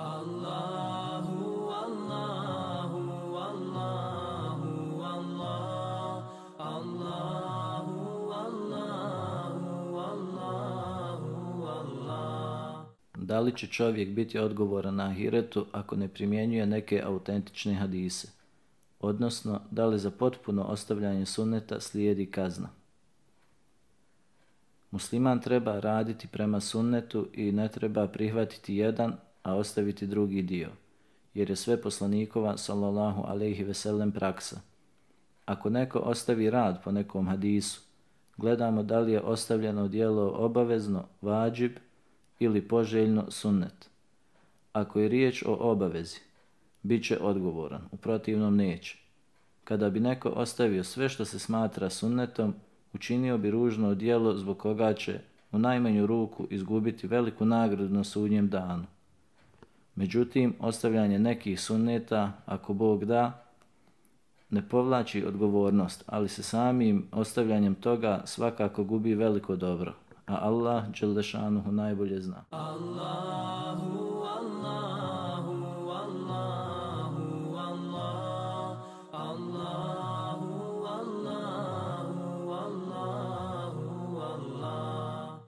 Allahu, Allahu, Allahu, Allah, Allahu, Allahu, Allahu, Allah. Da li će čovjek biti odgovoran na ahiretu ako ne primjenjuje neke autentične hadise? Odnosno, da li za potpuno ostavljanje sunneta slijedi kazna? Musliman treba raditi prema sunnetu i ne treba prihvatiti jedan, a ostaviti drugi dio, jer je sve poslanikova sallallahu alejhi ve sellem praksa. Ako neko ostavi rad po nekom hadisu, gledamo da li je ostavljeno djelo obavezno, vađib ili poželjno sunnet. Ako je riječ o obavezi, bit će odgovoran, u protivnom neće. Kada bi neko ostavio sve što se smatra sunnetom, učinio bi ružno djelo zbog koga će u najmanju ruku izgubiti veliku nagradu na sudnjem danu. Međutim, ostavljanje nekih sunneta, ako Bog da, ne povlači odgovornost, ali se samim ostavljanjem toga svakako gubi veliko dobro, a Allah dželle šanuhu najbolje zna. Allahu